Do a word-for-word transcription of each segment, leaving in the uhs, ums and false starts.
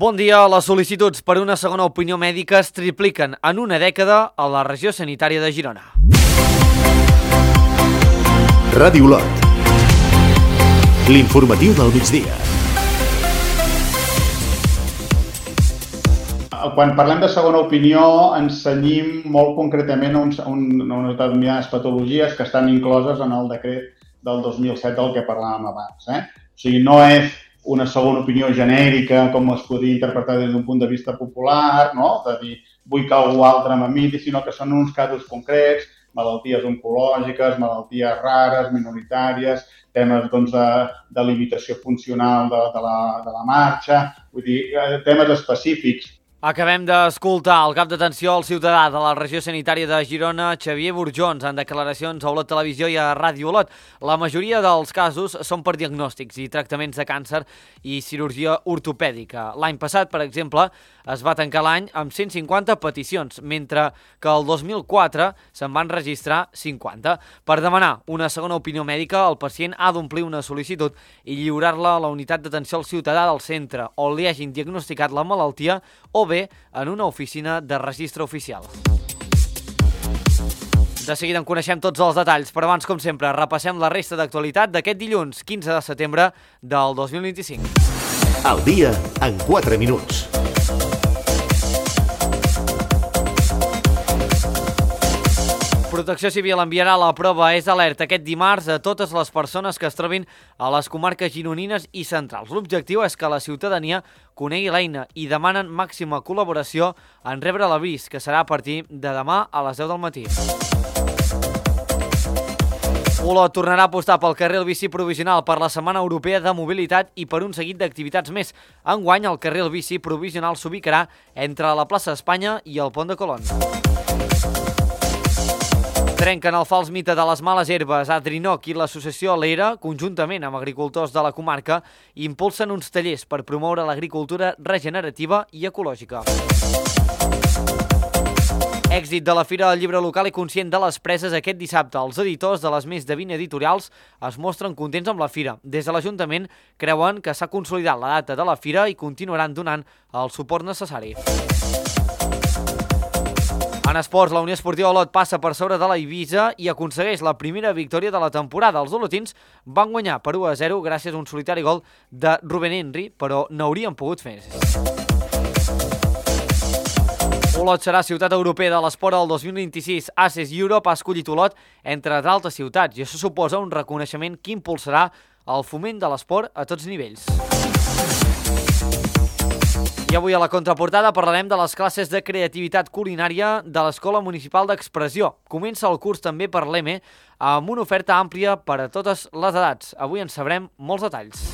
Bon dia. Les sol·licituds per una segona opinió mèdica es tripliquen en una dècada a la regió sanitària de Girona. Ràdio Olot. L'informatiu del migdia. Quan parlem de segona opinió ens cenyim molt concretament a, un, a unes determinades patologies que estan incloses en el decret del dos mil set del que parlàvem abans. Eh? O sigui, no és una segona opinió genèrica, com es podria interpretar des d'un punt de vista popular, no? De dir, vull que algú altre m'imiti, sinó que són uns casos concrets, malalties oncològiques, malalties rares, minoritàries, temes doncs, de, de limitació funcional de, de, la, de la marxa, vull dir, temes específics. Acabem d'escoltar el cap d'atenció al ciutadà de la regió sanitària de Girona, Xavier Burjons, en declaracions a Olot Televisió i a Ràdio Olot. La majoria dels casos són per diagnòstics i tractaments de càncer i cirurgia ortopèdica. L'any passat, per exemple, es va tancar l'any amb cent cinquanta peticions, mentre que el dos mil quatre se'n van registrar cinquanta. Per demanar una segona opinió mèdica, el pacient ha d'omplir una sol·licitud i lliurar-la a la unitat d'atenció al ciutadà del centre on li hagin diagnosticat la malaltia o bé en una oficina de registre oficial. De seguida en coneixem tots els detalls, però abans, com sempre, repassem la resta d'actualitat d'aquest dilluns, quinze de setembre del dos mil vint-i-cinc. El dia en quatre minuts. Protecció Civil enviarà la prova És Alerta aquest dimarts a totes les persones que es trobin a les comarques gironines i centrals. L'objectiu és que la ciutadania conegui l'eina i demanen màxima col·laboració en rebre l'avís, que serà a partir de demà a les deu del matí. Olot tornarà a apostar pel carril bici provisional per la Setmana Europea de Mobilitat i per un seguit d'activitats més. Enguany, el carril bici provisional s'ubicarà entre la plaça Espanya i el Pont de Colón. Trenquen el fals mite de les males herbes. Adrinoc i l'associació L'Era, conjuntament amb agricultors de la comarca, impulsen uns tallers per promoure l'agricultura regenerativa i ecològica. Èxit de la Fira del Llibre Local i Conscient de les Preses aquest dissabte. Els editors de les més de vint editorials es mostren contents amb la fira. Des de l'Ajuntament creuen que s'ha consolidat la data de la fira i continuaran donant el suport necessari. En esports, la Unió Esportiva Olot passa per sobre de la Eivissa i aconsegueix la primera victòria de la temporada. Els olotins van guanyar per u a zero gràcies a un solitari gol de Rubén Henry, però n'haurien pogut fer. Olot serà ciutat europea de l'esport el dos mil vint-i-sis. Access Europe ha escollit Olot entre d'altres ciutats i això suposa un reconeixement que impulsarà el foment de l'esport a tots nivells. I avui a la contraportada parlarem de les classes de creativitat culinària de l'Escola Municipal d'Expressió. Comença el curs també per l'E M E amb una oferta àmplia per a totes les edats. Avui en sabrem molts detalls.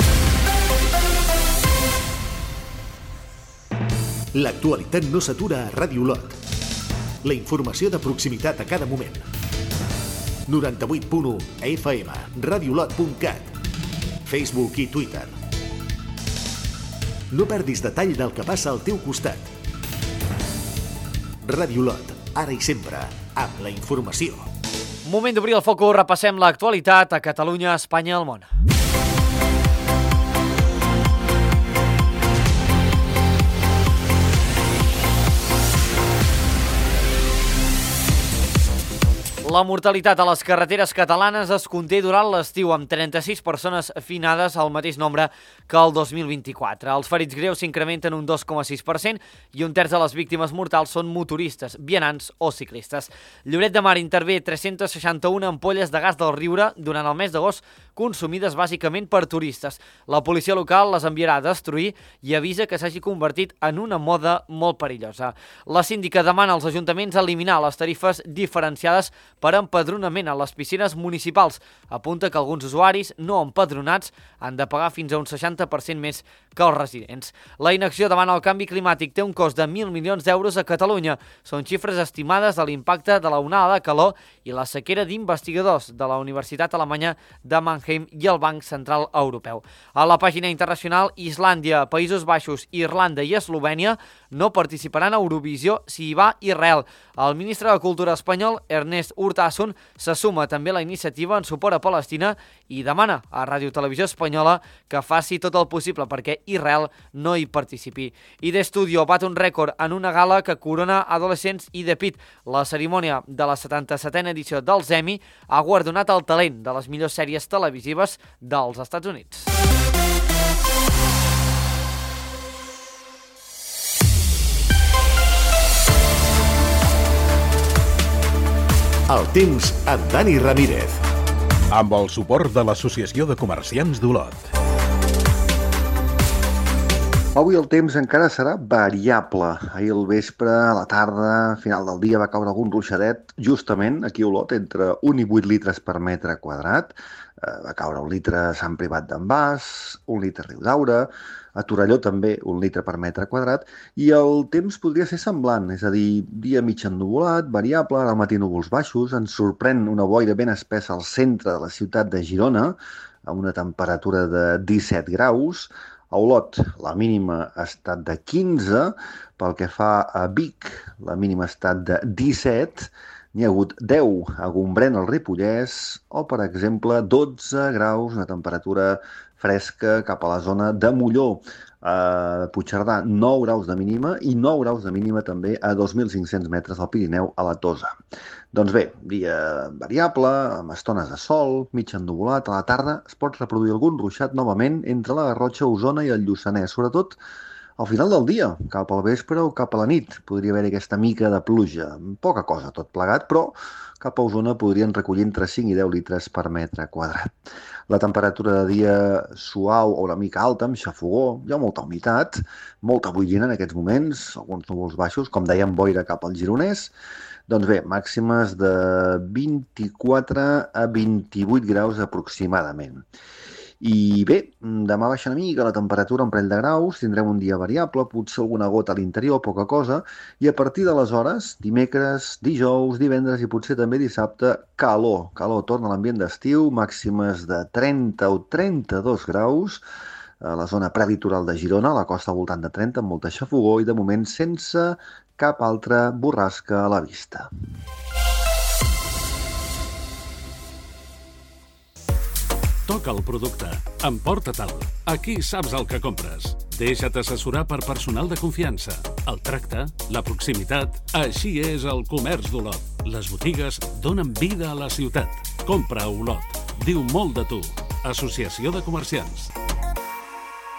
L'actualitat no s'atura a Ràdio Olot. La informació de proximitat a cada moment. noranta-vuit punt u F M, radiolot punt cat, Facebook i Twitter. No perdis detall del que passa al teu costat. Ràdio Olot, ara i sempre, amb la informació. Moment d'obrir el focus, repassem l'actualitat a Catalunya, Espanya i el món. La mortalitat a les carreteres catalanes es conté durant l'estiu, amb trenta-sis persones finades, el mateix nombre que el dos mil vint-i-quatre. Els ferits greus s'incrementen un dos coma sis per cent i un terç de les víctimes mortals són motoristes, vianants o ciclistes. Lloret de Mar intervé tres-centes seixanta-una ampolles de gas del Riure durant el mes d'agost, consumides bàsicament per turistes. La policia local les enviarà a destruir i avisa que s'hagi convertit en una moda molt perillosa. La síndica demana als ajuntaments eliminar les tarifes diferenciades per empadronament a les piscines municipals. Apunta que alguns usuaris no empadronats han de pagar fins a un seixanta per cent més que els residents. La inacció davant el canvi climàtic té un cost de mil milions d'euros a Catalunya. Són xifres estimades de l'impacte de la onada de calor i la sequera d'investigadors de la Universitat Alemanya de Mannheim. Trondheim i el Banc Central Europeu. A la pàgina internacional, Islàndia, Països Baixos, Irlanda i Eslovènia no participaran a Eurovisió si hi va Israel. El ministre de Cultura espanyol, Ernest Urtasun, se suma també a la iniciativa en suport a Palestina i demana a Ràdio Televisió Espanyola que faci tot el possible perquè Israel no hi participi. I d'Estudio bat un rècord en una gala que corona Adolescents i The Pit. La cerimònia de la setanta-setena edició dels Emmy ha guardonat el talent de les millors sèries televisives dels Estats Units. El temps amb Dani Ramírez. Amb el suport de l'Associació de Comerciants d'Olot. Avui el temps encara serà variable. Ahir al vespre, a la tarda, a final del dia, va caure algun ruixadet, justament aquí a Olot, entre un i vuit litres per metre quadrat. Eh, va caure un litre a Sant Privat d'en Bas, un litre a Riudaura, a Torelló també un litre per metre quadrat, i el temps podria ser semblant, és a dir, dia mig ennuvolat, variable, al matí núvols baixos, ens sorprèn una boira ben espessa al centre de la ciutat de Girona, amb una temperatura de disset graus. A Olot la mínima ha estat de quinze, pel que fa a Vic la mínima ha estat de disset, n'hi ha hagut deu a Gombrèn, al Ripollès, o, per exemple, dotze graus, una temperatura fresca cap a la zona de Molló. A Puigcerdà, nou graus de mínima i nou graus de mínima també a dos mil cinc-cents metres al Pirineu, a la Tosa. Doncs bé, dia variable, amb estones de sol, mig ennuvolat. A la tarda es pot reproduir algun ruixat novament entre la Garrotxa, Osona i el Lluçanès, sobretot al final del dia, cap al vespre o cap a la nit. Podria haver-hi aquesta mica de pluja, poca cosa tot plegat, però cap a Osona podrien recollir entre cinc i deu litres per metre quadrat. La temperatura de dia suau o una mica alta, amb xafogó, hi ha molta humitat, molta boirina en aquests moments, alguns núvols baixos, com dèiem, boira cap al Gironès. Doncs bé, màximes de vint-i-quatre a vint-i-vuit graus aproximadament. I bé, demà baixa una mica la temperatura, un parell de graus, tindrem un dia variable, potser alguna gota a l'interior, poca cosa, i a partir d'aleshores, dimecres, dijous, divendres i potser també dissabte, calor. Calor, torna a l'ambient d'estiu, màximes de trenta o trenta-dos graus, a la zona prelitoral de Girona, a la costa al voltant de trenta, amb molta xafogó i de moment sense cap altra borrasca a la vista. Toca el producte. Emporta-te'l. Aquí saps el que compres. Deixa't assessorar per personal de confiança. El tracte, la proximitat... Així és el comerç d'Olot. Les botigues donen vida a la ciutat. Compra a Olot. Diu molt de tu. Associació de Comerciants.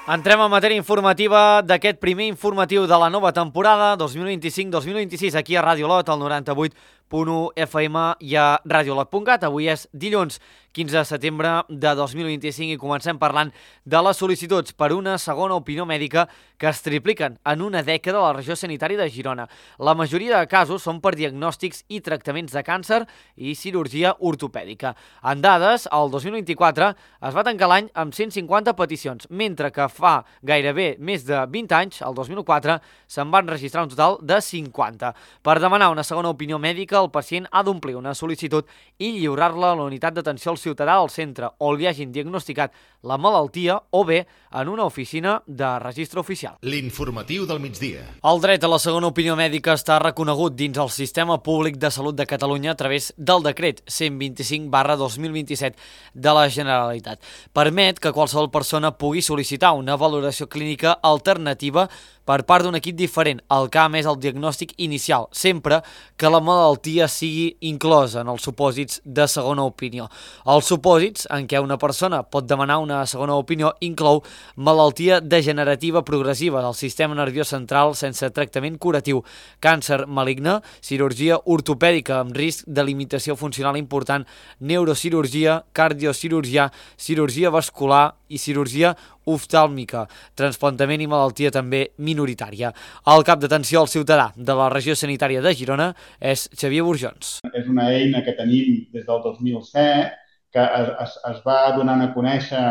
Entrem en matèria informativa d'aquest primer informatiu de la nova temporada dos mil vint-i-cinc dos mil vint-i-sis aquí a Ràdio Olot, al noranta-vuit punt u F M i a radiolot punt cat. Avui és dilluns quinze de setembre de dos mil vint-i-cinc i comencem parlant de les sol·licituds per una segona opinió mèdica que es tripliquen en una dècada a la regió sanitària de Girona. La majoria de casos són per diagnòstics i tractaments de càncer i cirurgia ortopèdica. En dades, el dos mil vint-i-quatre es va tancar l'any amb cent cinquanta peticions, mentre que fa gairebé més de vint anys, el dos mil quatre, se'n van registrar un total de cinquanta. Per demanar una segona opinió mèdica, el pacient ha d'omplir una sol·licitud i lliurar-la a la unitat d'atenció al ciutadà al centre on li hagin diagnosticat la malaltia o bé en una oficina de registre oficial. L'informatiu del migdia. El dret a la segona opinió mèdica està reconegut dins el Sistema Públic de Salut de Catalunya a través del decret cent vint-i-cinc barra dos mil vint-i-set de la Generalitat. Permet que qualsevol persona pugui sol·licitar una valoració clínica alternativa per part d'un equip diferent al que ha emès el diagnòstic inicial, sempre que la malaltia sigui inclosa en els supòsits de segona opinió. Els supòsits en què una persona pot demanar una segona opinió inclou malaltia degenerativa progressiva del sistema nerviós central sense tractament curatiu, càncer maligne, cirurgia ortopèdica amb risc de limitació funcional important, neurocirurgia, cardiocirurgia, cirurgia vascular i cirurgia oftàlmica, transplantament i malaltia també minoritària. El cap d'atenció al ciutadà de la regió sanitària de Girona és Xavier Burjons. És una eina que tenim des del dos mil set, que es, es, es va donant a conèixer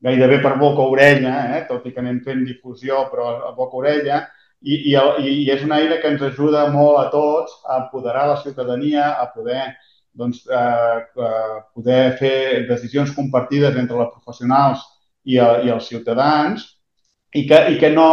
gairebé per boca-orella, eh? Tot i que anem fent difusió, però a boca-orella, i, i, i és una eina que ens ajuda molt a tots a apoderar la ciutadania, a poder doncs, eh, poder fer decisions compartides entre els professionals i, i els ciutadans i que, i que no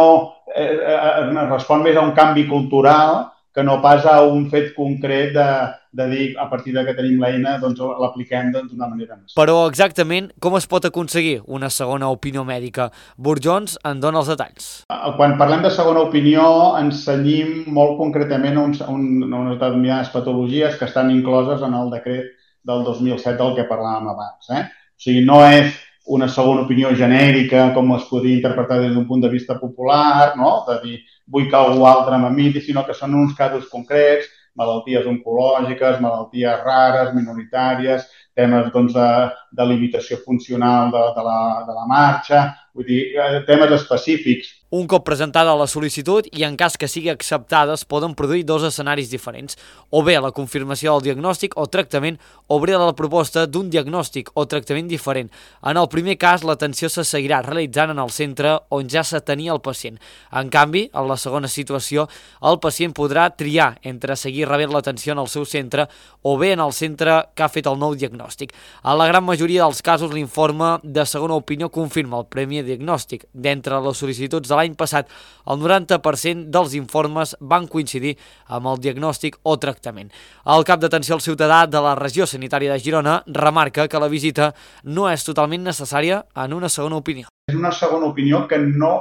eh, eh, respon més a un canvi cultural que no pas a un fet concret de, de dir a partir de que tenim l'eina doncs l'apliquem d'una manera més. Però exactament com es pot aconseguir una segona opinió mèdica? Burjons en dona els detalls. Quan parlem de segona opinió ens cenyim molt concretament a, un, a unes determinades patologies que estan incloses en el decret del dos mil set del que parlàvem abans. Eh? O sigui, no és una segona opinió genèrica com es podria interpretar des d'un punt de vista popular, no? De dir vull que algú altre m'imiti, sinó que són uns casos concrets, malalties oncològiques, malalties rares, minoritàries, temes doncs, de, de limitació funcional de, de, la, de la marxa, vull dir, temes específics. Un cop presentada la sol·licitud i en cas que sigui acceptada es poden produir dos escenaris diferents, o bé la confirmació del diagnòstic o tractament o bé la proposta d'un diagnòstic o tractament diferent. En el primer cas, l'atenció se seguirà realitzant en el centre on ja s'atenia el pacient. En canvi, en la segona situació, el pacient podrà triar entre seguir rebent l'atenció en el seu centre o bé en el centre que ha fet el nou diagnòstic. En la gran majoria dels casos, l'informe de segona opinió confirma el primer diagnòstic. D'entre les sol·licituds de l'any passat, el noranta per cent dels informes van coincidir amb el diagnòstic o tractament. El cap d'atenció al ciutadà de la regió sanitària de Girona remarca que la visita no és totalment necessària en una segona opinió. És una segona opinió que no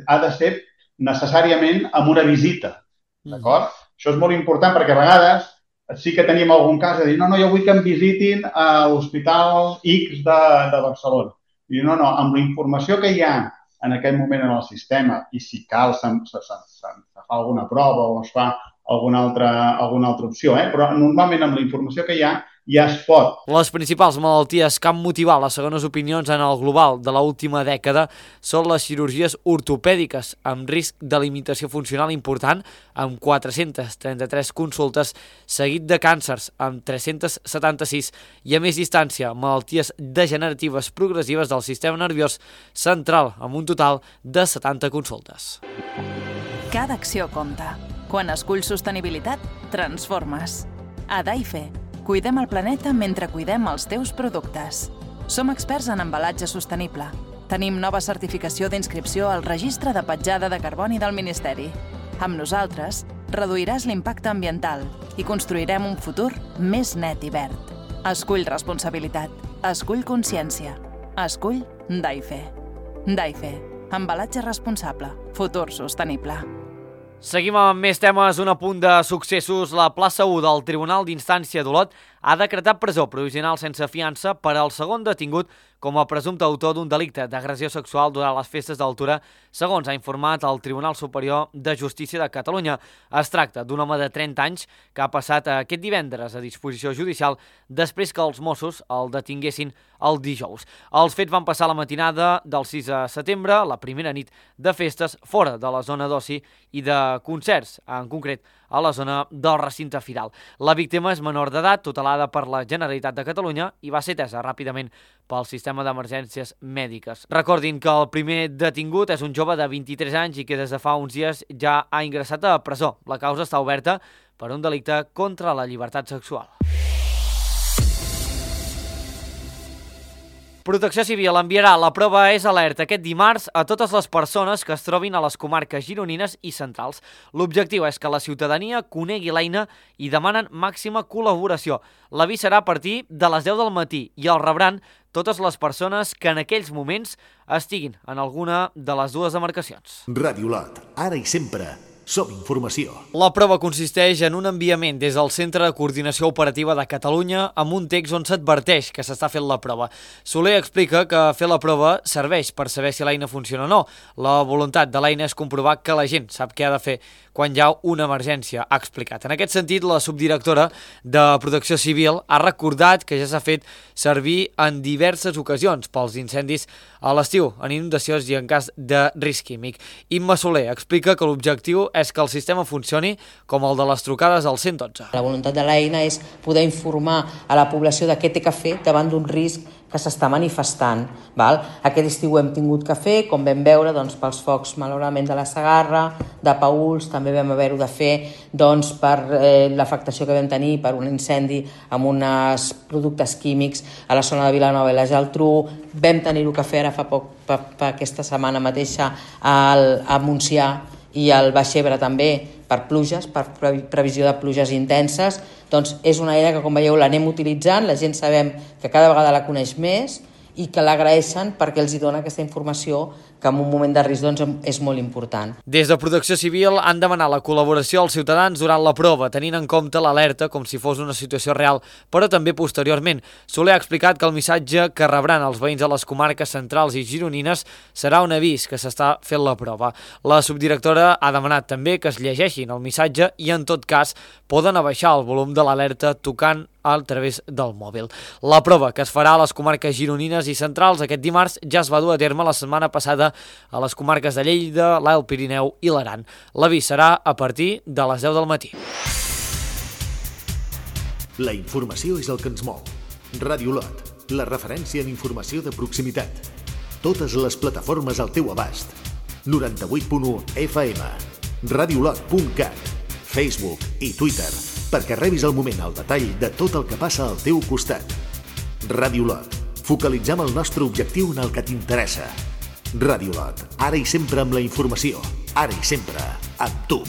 ha de ser necessàriament amb una visita, d'acord? Mm. Això és molt important perquè a vegades sí que tenim algun cas de dir no, no, jo vull que em visitin a l'Hospital X de, de Barcelona. I no, no, amb la informació que hi ha en aquest moment en el sistema i si cal se, se, se, se, se fa alguna prova o es fa alguna altra, alguna altra opció, eh? Però normalment amb la informació que hi ha ja es pot. Les principals malalties que han motivat les segones opinions en el global de l'última dècada són les cirurgies ortopèdiques, amb risc de limitació funcional important, amb quatre-centes trenta-tres consultes, seguit de càncers, amb tres-centes setanta-sis, i a més distància, malalties degeneratives progressives del sistema nerviós central, amb un total de setanta consultes. Cada acció compta. Quan esculls sostenibilitat, transformes. A Daife, cuidem el planeta mentre cuidem els teus productes. Som experts en embalatge sostenible. Tenim nova certificació d'inscripció al Registre de Petjada de Carboni del Ministeri. Amb nosaltres, reduiràs l'impacte ambiental i construirem un futur més net i verd. Escull responsabilitat. Escull consciència. Escull Daife. Daife. Embalatge responsable. Futur sostenible. Seguim amb més temes. Un apunt de successos. La plaça u del Tribunal d'Instància d'Olot ha decretat presó provisional sense fiança per al segon detingut com a presumpte autor d'un delicte d'agressió sexual durant les festes d'Altura, segons ha informat el Tribunal Superior de Justícia de Catalunya. Es tracta d'un home de trenta anys que ha passat aquest divendres a disposició judicial després que els Mossos el detinguessin el dijous. Els fets van passar la matinada del sis de setembre, la primera nit de festes, fora de la zona d'oci i de concerts, en concret a la zona del recinte firal. La víctima és menor d'edat, tutelada per la Generalitat de Catalunya i va ser atesa ràpidament pel sistema d'emergències mèdiques. Recordin que el primer detingut és un jove de vint-i-tres anys i que des de fa uns dies ja ha ingressat a presó. La causa està oberta per un delicte contra la llibertat sexual. Protecció Civil enviarà la prova és alerta aquest dimarts a totes les persones que es trobin a les comarques gironines i centrals. L'objectiu és que la ciutadania conegui l'eina i demanen màxima col·laboració. L'avís serà a partir de les deu del matí i el rebran totes les persones que en aquells moments estiguin en alguna de les dues demarcacions. Ràdio Olot, ara i sempre. Som informació. La prova consisteix en un enviament des del Centre de Coordinació Operativa de Catalunya amb un text on s'adverteix que s'està fent la prova. Soler explica que fer la prova serveix per saber si l'eina funciona o no. La voluntat de l'eina és comprovar que la gent sap què ha de fer quan hi ha una emergència, ha explicat. En aquest sentit, la subdirectora de Protecció Civil ha recordat que ja s'ha fet servir en diverses ocasions pels incendis a l'estiu, en inundacions i en cas de risc químic. Imma Soler explica que l'objectiu és que el sistema funcioni com el de les trucades al cent i dotze. La voluntat de l'eina és poder informar a la població de què té que fer davant d'un risc que s'està manifestant. Val? Aquest estiu hem tingut que fer, com vam veure, doncs, pels focs, malauradament, de la Segarra, de Paüls, també vam haver-ho de fer doncs, per eh, l'afectació que vam tenir per un incendi amb uns productes químics a la zona de Vilanova i la Geltrú. Vam tenir-ho que fer ara fa poc, per, per aquesta setmana mateixa al, a Montsià i al Baix Ebre també, per pluges, per previsió de pluges intenses. Doncs és una eina que, com veieu, l'anem utilitzant, la gent sabem que cada vegada la coneix més i que l'agraeixen perquè els hi dona aquesta informació que en un moment de risc doncs, és molt important. Des de Protecció Civil han demanat la col·laboració als ciutadans durant la prova, tenint en compte l'alerta com si fos una situació real, però també posteriorment. Soler ha explicat que el missatge que rebran els veïns de les comarques centrals i gironines serà un avís que s'està fent la prova. La subdirectora ha demanat també que es llegeixin el missatge i, en tot cas, poden abaixar el volum de l'alerta tocant a través del mòbil. La prova, que es farà a les comarques gironines i centrals aquest dimarts, ja es va dur a terme la setmana passada a les comarques de Lleida, l'Alt Pirineu i l'Aran. L'avís serà a partir de les deu del matí. La informació és el que ens mou. Ràdio Lot, la referència en informació de proximitat. Totes les plataformes al teu abast. noranta-vuit punt u F M, radiolot punt cat, Facebook i Twitter, perquè rebis al moment el detall de tot el que passa al teu costat. Ràdio Lot. Focalitzem el nostre objectiu en el que t'interessa. Ràdio Lot. Ara i sempre amb la informació. Ara i sempre amb tu.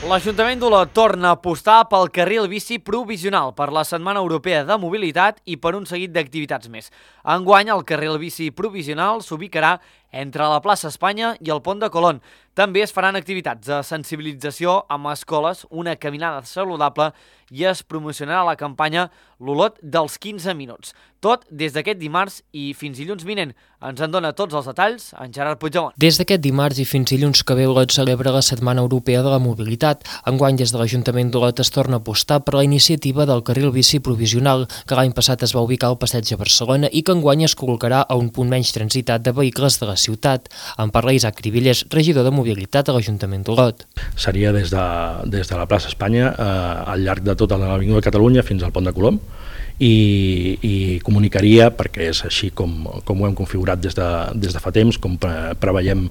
L'Ajuntament d'Olot torna a apostar pel carril bici provisional per la Setmana Europea de Mobilitat i per un seguit d'activitats més. Enguany, el carril bici provisional s'ubicarà entre la plaça Espanya i el pont de Colón. També es faran activitats de sensibilització amb escoles, una caminada saludable i es promocionarà la campanya L'Olot dels quinze minuts. Tot des d'aquest dimarts i fins dilluns vinent. Ens en dona tots els detalls en Gerard Puigdemont. Des d'aquest dimarts i fins dilluns que ve, Olot celebra la Setmana Europea de la Mobilitat. Enguany, des de l'Ajuntament d'Olot es torna a apostar per la iniciativa del carril bici provisional, que l'any passat es va ubicar al passeig de Barcelona i que enguany es col·locarà a un punt menys transitat de vehicles de la ciutat. En parla Isaac Cribillers, regidor de Mobilitat a l'Ajuntament d'Olot. Seria des de, des de la plaça Espanya eh, al llarg de tota l'Avinguda de Catalunya fins al pont de Colom, i, i comunicaria, perquè és així com, com ho hem configurat des de, des de fa temps, com pre preveiem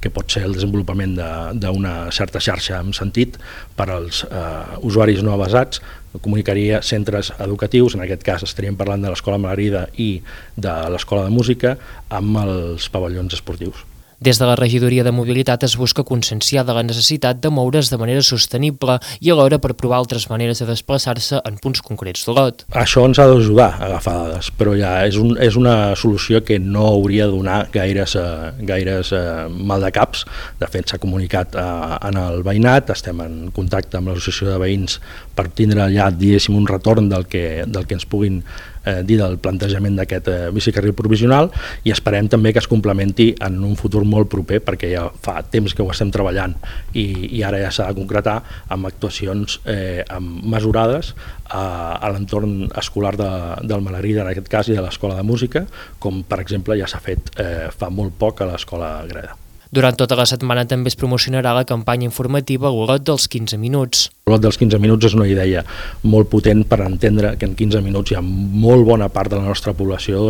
que pot ser el desenvolupament d'una certa xarxa amb sentit per als eh, usuaris no avesats. Comunicaria centres educatius, en aquest cas estaríem parlant de l'Escola Margarida i de l'Escola de Música, amb els pavellons esportius. Des de la Regidoria de Mobilitat es busca conscienciar de la necessitat de moure's de manera sostenible i alhora per provar altres maneres de desplaçar-se en punts concrets d'Olot. Això ens ha d'ajudar a agafar dades, però ja és, un, és una solució que no hauria de donar gaires, eh, gaires eh, mal de caps. De fet, s'ha comunicat eh, en el veïnat, estem en contacte amb l'associació de veïns per tindre ja, diguéssim, un retorn del que, del que ens puguin Eh, dir del plantejament d'aquest eh, bicicarril provisional, i esperem també que es complementi en un futur molt proper, perquè ja fa temps que ho estem treballant i, i ara ja s'ha de concretar amb actuacions eh, amb mesurades a, a l'entorn escolar de, del Malarida, en aquest cas, i de l'Escola de Música, com per exemple ja s'ha fet eh, fa molt poc a l'Escola Greda. Durant tota la setmana també es promocionarà la campanya informativa Olot dels quinze minuts. L'Olot dels quinze minuts és una idea molt potent per entendre que en quinze minuts hi ha molt bona part de la nostra població,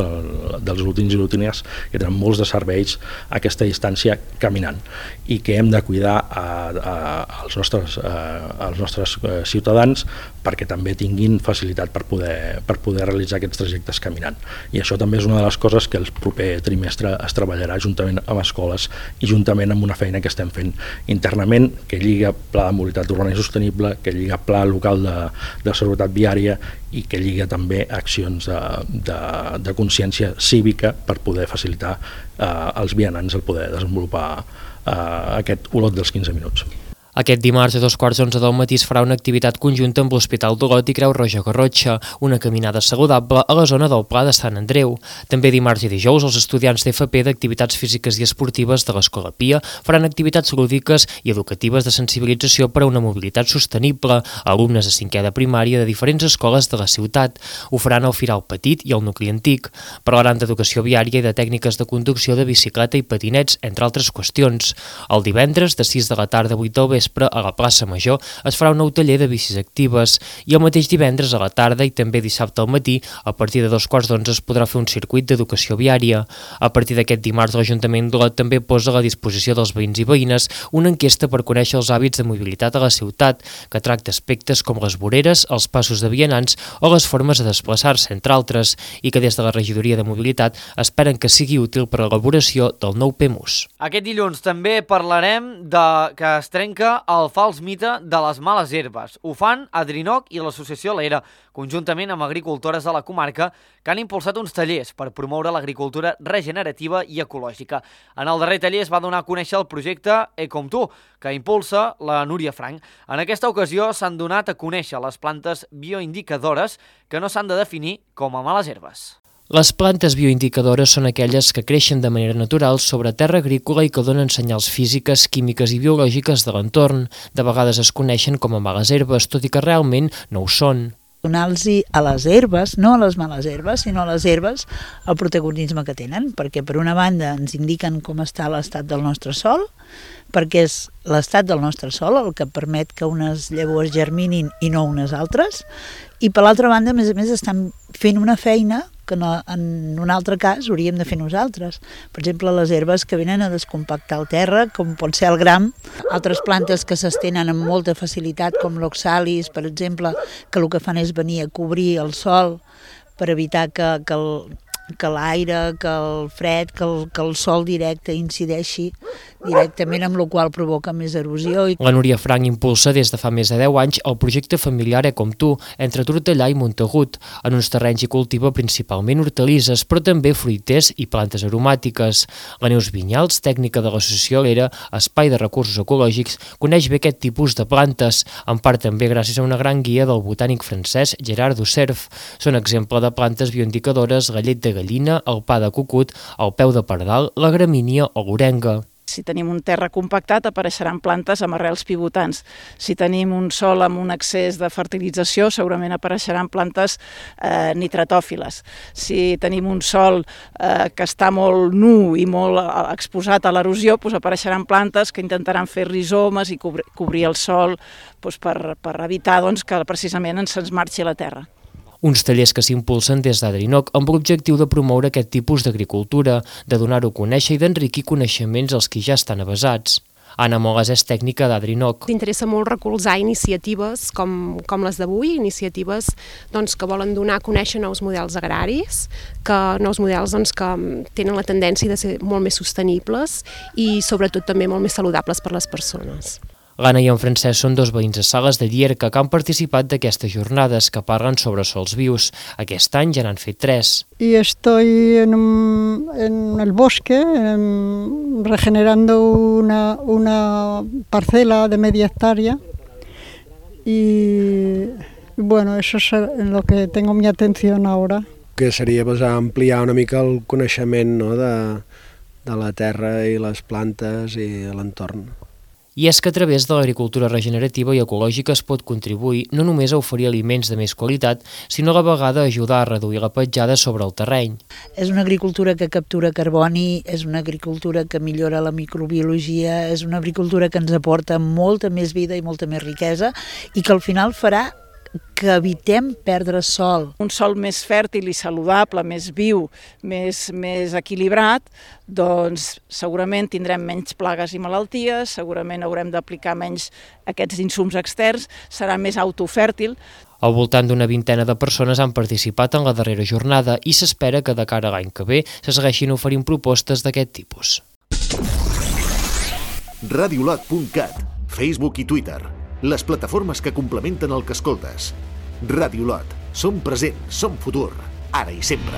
dels lotins i lotines, que tenen molts de serveis a aquesta distància caminant, i que hem de cuidar a, a, als nostres, a, als nostres ciutadans perquè també tinguin facilitat per poder, per poder realitzar aquests trajectes caminant. I això també és una de les coses que el proper trimestre es treballarà juntament amb escoles i juntament amb una feina que estem fent internament, que lliga Pla de Mobilitat Urbana i Sostenible, que lliga Pla Local de, de Seguretat Viària i que lliga també accions de, de, de consciència cívica per poder facilitar eh, als vianants el poder desenvolupar eh, aquest Olot dels quinze minuts. Aquest dimarts a dos quarts d'onze del matí es farà una activitat conjunta amb l'Hospital d'Olot i Creu Roja Garrotxa, una caminada saludable a la zona del Pla de Sant Andreu. També dimarts i dijous els estudiants d'F P d'Activitats Físiques i Esportives de l'Escola Pia faran activitats lúdiques i educatives de sensibilització per a una mobilitat sostenible a alumnes de cinquè de primària de diferents escoles de la ciutat. Ho faran al Firal Petit i al Nucli Antic. Parlaran d'educació viària i de tècniques de conducció de bicicleta i patinets, entre altres qüestions. El divendres, de sis de la tarda a vuit del vespre, vespre, a la plaça Major, es farà un nou taller de bicis actives i el mateix divendres a la tarda i també dissabte al matí, a partir de dos quarts d'onze es podrà fer un circuit d'educació viària. A partir d'aquest dimarts, l'Ajuntament d'Olot també posa a la disposició dels veïns i veïnes una enquesta per conèixer els hàbits de mobilitat a la ciutat, que tracta aspectes com les voreres, els passos de vianants o les formes de desplaçar-se, entre altres, i que des de la Regidoria de Mobilitat esperen que sigui útil per a l'elaboració del nou P E M U S. Aquest dilluns també parlarem de que es trenca el fals mite de les males herbes. Ho fan Adrinoc i l'Associació L'Era, conjuntament amb agricultores de la comarca, que han impulsat uns tallers per promoure l'agricultura regenerativa i ecològica. En el darrer taller es va donar a conèixer el projecte Ecomtu, que impulsa la Núria Frank. En aquesta ocasió s'han donat a conèixer les plantes bioindicadores que no s'han de definir com a males herbes. Les plantes bioindicadores són aquelles que creixen de manera natural sobre terra agrícola i que donen senyals físiques, químiques i biològiques de l'entorn. De vegades es coneixen com a males herbes, tot i que realment no ho són. Donar-los a les herbes, no a les males herbes, sinó a les herbes, el protagonisme que tenen, perquè per una banda ens indiquen com està l'estat del nostre sòl, perquè és l'estat del nostre sòl el que permet que unes llavors germinin i no unes altres, i per l'altra banda, a més a més, estan fent una feina que no, en un altre cas hauríem de fer nosaltres. Per exemple, les herbes que venen a descompactar el terra, com pot ser el gram, altres plantes que s'estenen amb molta facilitat, com l'oxalis, per exemple, que el que fan és venir a cobrir el sòl per evitar que, que el que l'aire, que el fred, que el, que el sol directe incideixi directament, amb la qual provoca més erosió. La Núria Frank impulsa des de fa més de deu anys el projecte familiar Ecomtu, entre Tortellà i Montagut. En uns terrenys hi cultiva principalment hortalisses, però també fruiters i plantes aromàtiques. La Neus Vinyals, tècnica de l'associació L'Era, Espai de Recursos Ecològics, coneix bé aquest tipus de plantes, en part també gràcies a una gran guia del botànic francès Gerard Ducerf. Són exemple de plantes bioindicadores la llet de gallina, el pa de cucut, el peu de pardal, la gramínia o l'orenga. Si tenim un terra compactat, apareixeran plantes amb arrels pivotants. Si tenim un sòl amb un excés de fertilització, segurament apareixeran plantes eh, nitratòfiles. Si tenim un sòl eh, que està molt nu i molt exposat a l'erosió, doncs apareixeran plantes que intentaran fer rizomes i cobrir, cobrir el sòl doncs per, per evitar doncs, que precisament ens se'ns marxi la terra. Uns tallers que s'impulsen des d'Adrinoc amb l'objectiu de promoure aquest tipus d'agricultura, de donar-ho a conèixer i d'enriquir coneixements als qui ja estan avesats. Anna Moles és tècnica d'Adrinoc. T'interessa molt recolzar iniciatives com, com les d'avui, iniciatives doncs, que volen donar a conèixer nous models agraris, que nous models doncs, que tenen la tendència de ser molt més sostenibles i sobretot també molt més saludables per les persones. L'Anna i en Francesc són dos veïns de Sales de Llierca que han participat d'aquestes jornades que parlen sobre sols vius. Aquest any ja n'han fet tres. Y estoy en, un, en el bosque en, regenerando una, una parcela de media hectárea y bueno, eso es en lo que tengo mi atención ahora. Que seria pues, ampliar una mica el coneixement, no, de, de la terra i les plantes i l'entorn. I és que a través de l'agricultura regenerativa i ecològica es pot contribuir no només a oferir aliments de més qualitat, sinó a la vegada a ajudar a reduir la petjada sobre el terreny. És una agricultura que captura carboni, és una agricultura que millora la microbiologia, és una agricultura que ens aporta molta més vida i molta més riquesa i que al final farà que evitem perdre sol. Un sòl més fèrtil i saludable, més viu, més, més equilibrat, doncs segurament tindrem menys plagues i malalties, segurament haurem d'aplicar menys aquests insums externs, serà més autofèrtil. Al voltant d'una vintena de persones han participat en la darrera jornada i s'espera que de cara a l'any que ve se segueixin oferint propostes d'aquest tipus. radiolot punt cat, Facebook i Twitter. Les plataformes que complementen el que escoltes. Radiolot. Som present, som futur, ara i sempre.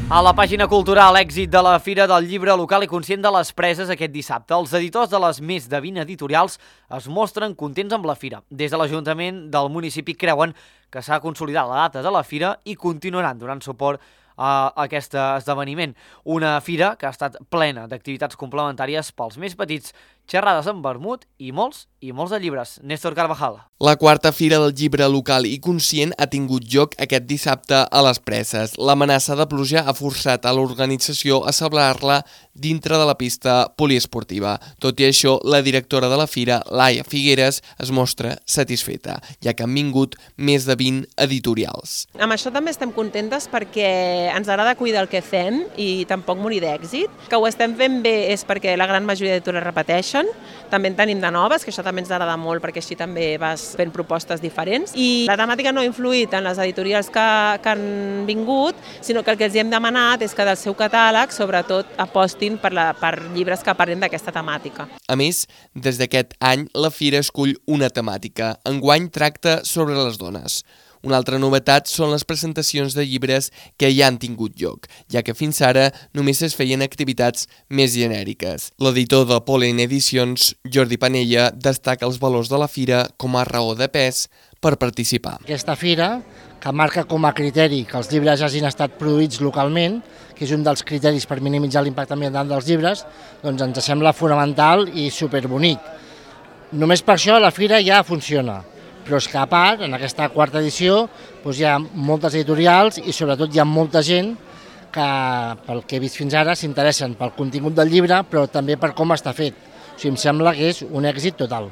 A la pàgina cultural, èxit de la Fira del Llibre Local i Conscient de les Preses aquest dissabte. Els editors de les més de vint editorials es mostren contents amb la Fira. Des de l'Ajuntament del municipi creuen que s'ha consolidat la data de la Fira i continuaran donant suport a aquest esdeveniment. Una fira que ha estat plena d'activitats complementàries pels més petits, xerrades amb vermut i molts i molts de llibres. Néstor Carvajal. La quarta Fira del Llibre Local i Conscient ha tingut lloc aquest dissabte a les Preses. L'amenaça de pluja ha forçat a l'organització a celebrar-la dintre de la pista poliesportiva. Tot i això, la directora de la Fira, Laia Figueres, es mostra satisfeta, ja que han vingut més de vint editorials. Amb això també estem contentes perquè ens agrada cuidar el que fem i tampoc morir d'èxit. Que ho estem fent bé és perquè la gran majoria d'editores repeteixen, també en tenim de noves, que això també ens agrada molt perquè així també vas fent propostes diferents. I la temàtica no ha influït en les editorials que, que han vingut, sinó que el que els hem demanat és que del seu catàleg, sobretot, apostin per, la, per llibres que parlin d'aquesta temàtica. A més, des d'aquest any, la Fira escull una temàtica. Enguany tracta sobre les dones. Una altra novetat són les presentacions de llibres que ja han tingut lloc, ja que fins ara només es feien activitats més genèriques. L'editor de Pollen Edicions, Jordi Panella, destaca els valors de la Fira com a raó de pes per participar. Aquesta Fira, que marca com a criteri que els llibres hagin estat produïts localment, que és un dels criteris per minimitzar l'impacte ambiental dels llibres, doncs ens sembla fonamental i superbonic. Només per això la Fira ja funciona. Però és que a part, en aquesta quarta edició, doncs hi ha moltes editorials i sobretot hi ha molta gent que, pel que he vist fins ara, s'interessen pel contingut del llibre, però també per com està fet. O sigui, em sembla que és un èxit total.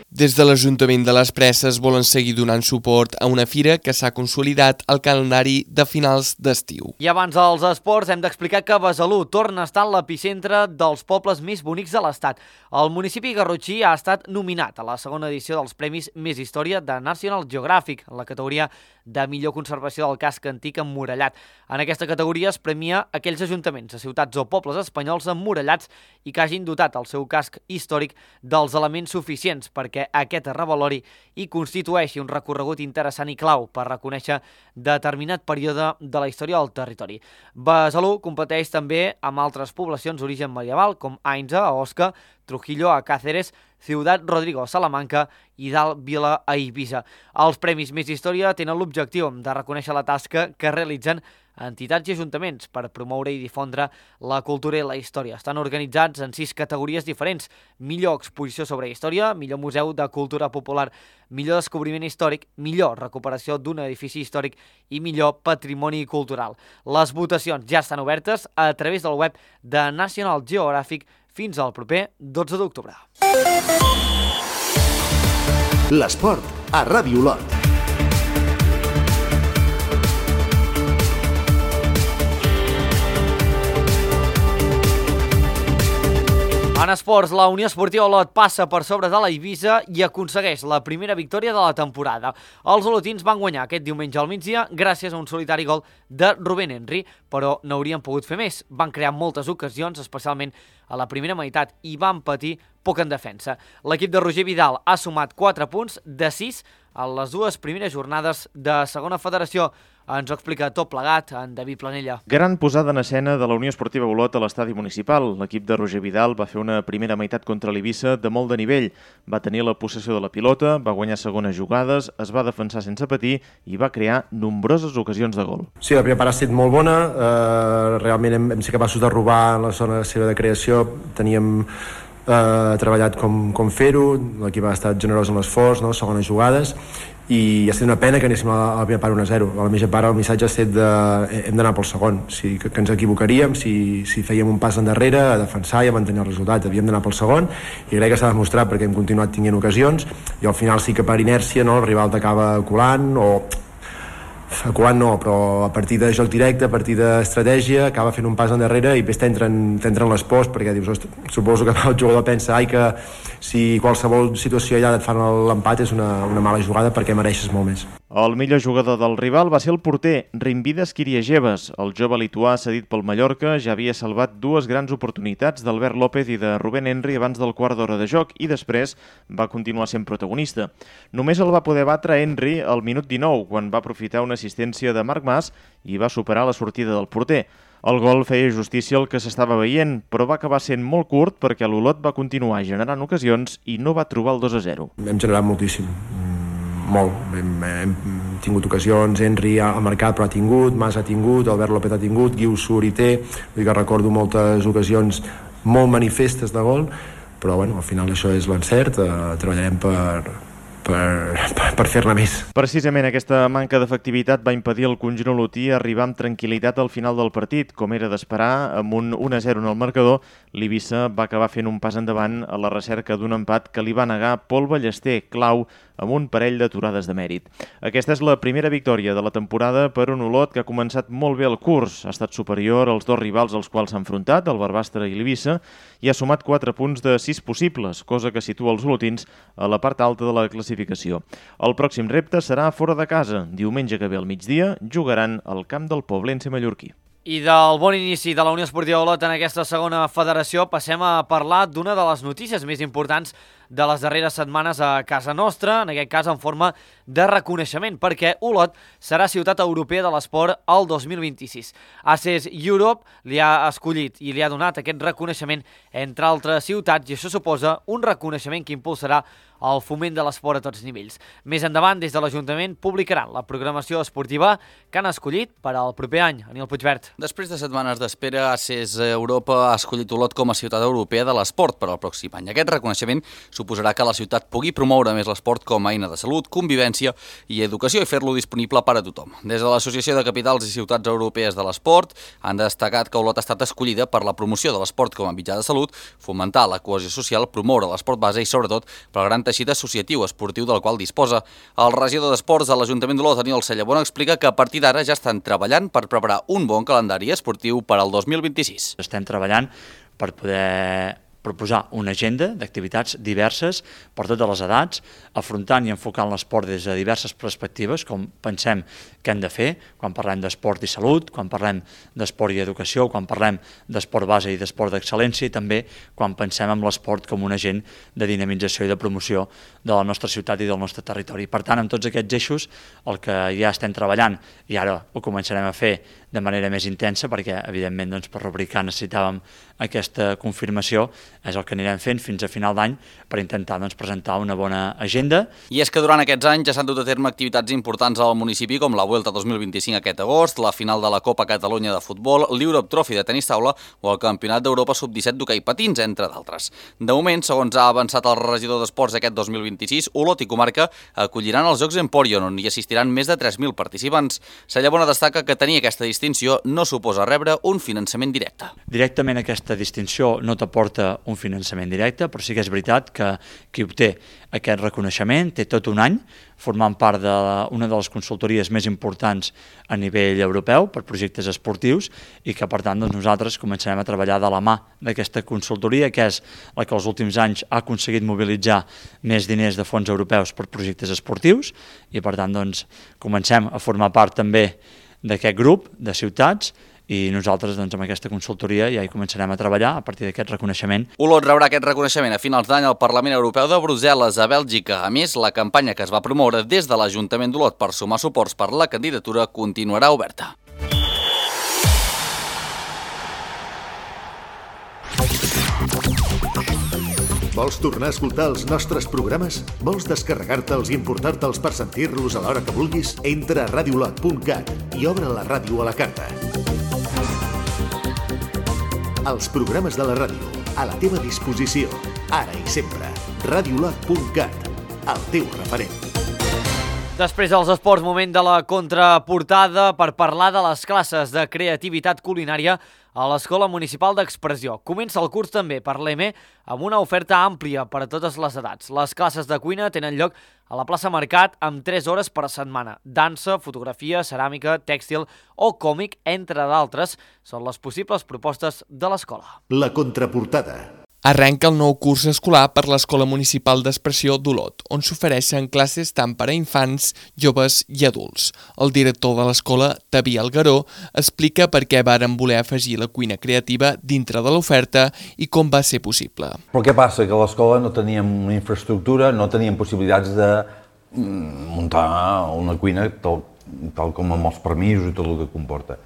Des de l'Ajuntament de les Preses volen seguir donant suport a una fira que s'ha consolidat al calendari de finals d'estiu. I abans dels esports hem d'explicar que Besalú torna a estar en l'epicentre dels pobles més bonics de l'Estat. El municipi garrotxí ha estat nominat a la segona edició dels Premis Més Història de National Geographic, en la categoria de millor conservació del casc antic emmurallat. En aquesta categoria es premia aquells ajuntaments de ciutats o pobles espanyols emmurallats i que hagin dotat el seu casc històric dels elements suficients perquè aquest revalori i constitueixi un recorregut interessant i clau per reconèixer determinat període de la història del territori. Besalú competeix també amb altres poblacions d'origen medieval com Ainsa, a Osca, Trujillo, a Cáceres, Ciutat Rodrigo, a Salamanca i Dalt Vila, a Eivissa. Els Premis Més Història tenen l'objectiu de reconèixer la tasca que realitzen entitats i ajuntaments per promoure i difondre la cultura i la història. Estan organitzats en sis categories diferents: millor exposició sobre història, millor museu de cultura popular, millor descobriment històric, millor recuperació d'un edifici històric i millor patrimoni cultural. Les votacions ja estan obertes a través del web de National Geographic fins al proper dotze d'octubre. L'esport a Ràdio Olot. En esports, la Unió Esportiva Olot passa per sobre de la Eivissa i aconsegueix la primera victòria de la temporada. Els olotins van guanyar aquest diumenge al migdia gràcies a un solitari gol de Rubén Henry, però n'haurien pogut fer més. Van crear moltes ocasions, especialment a la primera meitat, i van patir poc en defensa. L'equip de Roger Vidal ha sumat quatre punts de sis a les dues primeres jornades de segona federació. Ens ho explica tot plegat en David Planella. Gran posada en escena de la Unió Esportiva Olot a l'estadi municipal. L'equip de Roger Vidal va fer una primera meitat contra l'Eivissa de molt de nivell. Va tenir la possessió de la pilota, va guanyar segones jugades, es va defensar sense patir i va crear nombroses ocasions de gol. Sí, la primera part ha estat molt bona. Uh, realment hem, hem sigut capaços de robar en la zona seva de creació. Teníem uh, treballat com, com fer-ho, l'equip ha estat generós en l'esforç, no? Segones jugades, i ha estat una pena que anéssim a la primera part un a zero. A la mitja part el missatge ha estat de hem d'anar pel segon, si, que, que ens equivocaríem si, si fèiem un pas endarrere a defensar i a mantenir el resultat. Havíem d'anar pel segon i crec que s'ha demostrat perquè hem continuat tinguent ocasions i al final sí que per inèrcia, no, el rival t'acaba colant o colant no, però a partir de joc directe, a partir d'estratègia acaba fent un pas endarrere i després t'entren les pors perquè dius, suposo que el jugador pensa ai que si qualsevol situació allà et fan l'empat és una, una mala jugada perquè mereixes molt més. El millor jugador del rival va ser el porter, Rimvidas Kiriajeves. El jove lituà cedit pel Mallorca ja havia salvat dues grans oportunitats d'Albert López i de Rubén Henry abans del quart d'hora de joc i després va continuar sent protagonista. Només el va poder batre Henry al minut dinou, quan va aprofitar una assistència de Marc Mas i va superar la sortida del porter. El gol feia justícia al que s'estava veient, però va acabar sent molt curt perquè l'Olot va continuar generant ocasions i no va trobar el dos a zero. Hem generat moltíssim. Molt, hem, hem tingut ocasions, Henry ha marcat però ha tingut, Mas ha tingut, Albert López ha tingut, Guiu surt i té, vull dir que recordo moltes ocasions molt manifestes de gol, però bueno, al final això és l'encert, eh, treballarem per, per, per, per fer-ne més. Precisament aquesta manca d'efectivitat va impedir al conjunt olotí arribar amb tranquil·litat al final del partit. Com era d'esperar, amb un un a zero en el marcador, l'Eivissa va acabar fent un pas endavant a la recerca d'un empat que li va negar Pol Ballester, clau, amb un parell d'aturades de mèrit. Aquesta és la primera victòria de la temporada per un Olot que ha començat molt bé el curs. Ha estat superior als dos rivals als quals s'ha enfrontat, el Barbastre i l'Eivissa, i ha sumat quatre punts de sis possibles, cosa que situa els olotins a la part alta de la classificació. El pròxim repte serà fora de casa. Diumenge que ve al migdia jugaran al camp del Poblense mallorquí. I del bon inici de la Unió Esportiva Olot en aquesta segona federació passem a parlar d'una de les notícies més importants de les darreres setmanes a casa nostra, en aquest cas en forma de reconeixement, perquè Olot serà ciutat europea de l'esport el dos mil vint-i-sis. A C E S Europe li ha escollit i li ha donat aquest reconeixement entre altres ciutats i això suposa un reconeixement que impulsarà el foment de l'esport a tots nivells. Més endavant, des de l'Ajuntament, publicaran la programació esportiva que han escollit per al proper any. Aniel Puigvert. Després de setmanes d'espera, A C E S Europa ha escollit Olot com a ciutat europea de l'esport per al pròxim any. Aquest reconeixement suposarà que la ciutat pugui promoure més l'esport com a eina de salut, convivència i educació i fer-lo disponible per a tothom. Des de l'Associació de Capitals i Ciutats Europees de l'Esport han destacat que Olot ha estat escollida per la promoció de l'esport com a mitjà de salut, fomentar la cohesió social, promoure l'esport base i, sobretot, pel gran teixit associatiu esportiu del qual disposa. El regidor d'Esports de l'Ajuntament d'Olot, Daniel Cellabona, explica que a partir d'ara ja estan treballant per preparar un bon calendari esportiu per al dos mil vint-i-sis. Estem treballant per poder proposar una agenda d'activitats diverses per totes les edats, afrontant i enfocant l'esport des de diverses perspectives, com pensem que hem de fer, quan parlem d'esport i salut, quan parlem d'esport i educació, quan parlem d'esport base i d'esport d'excel·lència, i també quan pensem en l'esport com un agent de dinamització i de promoció de la nostra ciutat i del nostre territori. Per tant, amb tots aquests eixos, el que ja estem treballant, i ara ho començarem a fer de manera més intensa, perquè, evidentment, doncs, per rubricar necessitàvem aquesta confirmació, és el que anirem fent fins a final d'any per intentar doncs, presentar una bona agenda. I és que durant aquests anys ja s'han dut a terme activitats importants al municipi com la Vuelta dos mil vint-i-cinc aquest agost, la final de la Copa Catalunya de futbol, l'Europe Trophy de tenis taula o el Campionat d'Europa sub disset d'hoquei patins, entre d'altres. De moment, segons ha avançat el regidor d'Esports aquest dos mil vint-i-sis, Olot i comarca acolliran els Jocs Emporion, on hi assistiran més de tres mil participants. Cellabona destaca que tenir aquesta distinció no suposa rebre un finançament directe. Directament aquesta distinció no t'aporta un finançament directe, però sí que és veritat que qui obté aquest reconeixement té tot un any formant part d'una de les consultories més importants a nivell europeu per projectes esportius i que, per tant, doncs, nosaltres començarem a treballar de la mà d'aquesta consultoria, que és la que els últims anys ha aconseguit mobilitzar més diners de fons europeus per projectes esportius i, per tant, doncs, comencem a formar part també d'aquest grup de ciutats i nosaltres doncs, amb aquesta consultoria ja hi començarem a treballar a partir d'aquest reconeixement. Olot rebrà aquest reconeixement a finals d'any al Parlament Europeu de Brussel·les, a Bèlgica. A més, la campanya que es va promoure des de l'Ajuntament d'Olot per sumar suports per la candidatura continuarà oberta. Vols tornar a escoltar els nostres programes? Vols descarregar-te'ls i importar-te'ls per sentir-los a l'hora que vulguis? Entra a radiolot punt cat i obre la ràdio a la carta. Els programes de la ràdio, a la teva disposició, ara i sempre. radiolot punt cat, el teu referent. Després dels esports, moment de la contraportada per parlar de les classes de creativitat culinària a l'Escola Municipal d'Expressió. Comença el curs també per l'E M E amb una oferta àmplia per a totes les edats. Les classes de cuina tenen lloc a la plaça Mercat amb tres hores per setmana. Dansa, fotografia, ceràmica, tèxtil o còmic, entre d'altres, són les possibles propostes de l'escola. La contraportada. Arrenca el nou curs escolar per l'Escola Municipal d'Expressió d'Olot, on s'ofereixen classes tant per a infants, joves i adults. El director de l'escola, Taví Algaró, explica per què varen voler afegir la cuina creativa dintre de l'oferta i com va ser possible. Però què passa? Que a l'escola no teníem una infraestructura, no teníem possibilitats de muntar una cuina tal, tal com amb els permisos i tot el que comporta.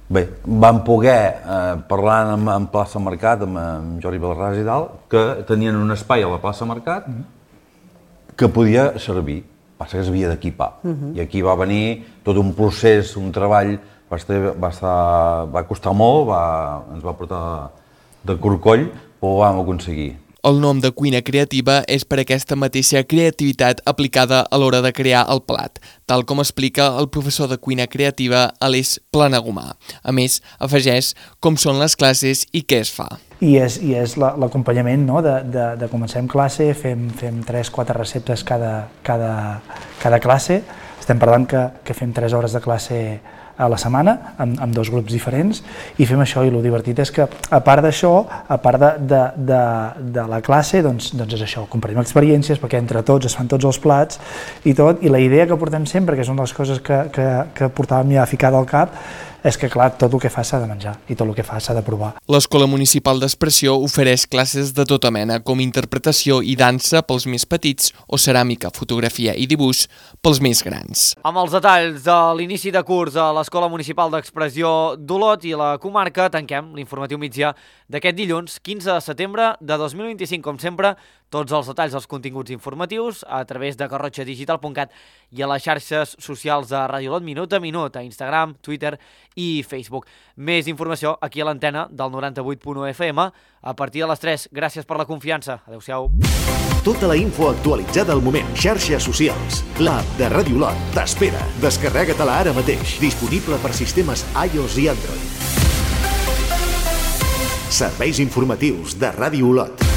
Bé, vam poder, eh, parlar amb, amb plaça Mercat, amb, amb Jordi Belarràs i tal, que tenien un espai a la plaça Mercat que podia servir, passa que s'havia d'equipar. Uh-huh. I aquí va venir tot un procés, un treball, va, estar, va, estar, va costar molt, va, ens va portar de corcoll, però ho vam aconseguir. El nom de cuina creativa és per aquesta mateixa creativitat aplicada a l'hora de crear el plat, tal com explica el professor de cuina creativa Aleix Planagumà. A més, afegeix com són les classes i què es fa. I és, i és l'acompanyament, no? de, de, de comencem classe, fem, fem tres quatre receptes cada, cada, cada classe, estem parlant que, que fem tres hores de classe a la setmana, amb, amb dos grups diferents, i fem això, i el divertit és que, a part d'això, a part de, de, de, de la classe, doncs, doncs és això, compartim experiències, perquè entre tots es fan tots els plats i tot, i la idea que portem sempre, que és una de les coses que, que, que portàvem ja ficada al cap, és que, clar, tot el que fa s'ha de menjar i tot el que fa s'ha de provar. L'Escola Municipal d'Expressió ofereix classes de tota mena, com interpretació i dansa pels més petits o ceràmica, fotografia i dibuix pels més grans. Amb els detalls de l'inici de curs a l'Escola Municipal d'Expressió d'Olot i la comarca, tanquem l'informatiu migdia d'aquest dilluns, quinze de setembre de dos mil vint-i-cinc, com sempre, tots els detalls dels continguts informatius a través de garrotxa digital punt cat i a les xarxes socials de Ràdio Olot minut a minut, a Instagram, Twitter i Facebook. Més informació aquí a l'antena del noranta-vuit punt u F M a partir de les tres. Gràcies per la confiança. Adéu-siau. Tota la info actualitzada al moment. Xarxes socials. L'app de Ràdio Olot t'espera. Descarrega-te-la ara mateix. Disponible per sistemes iOS i Android. Serveis informatius de Ràdio Olot.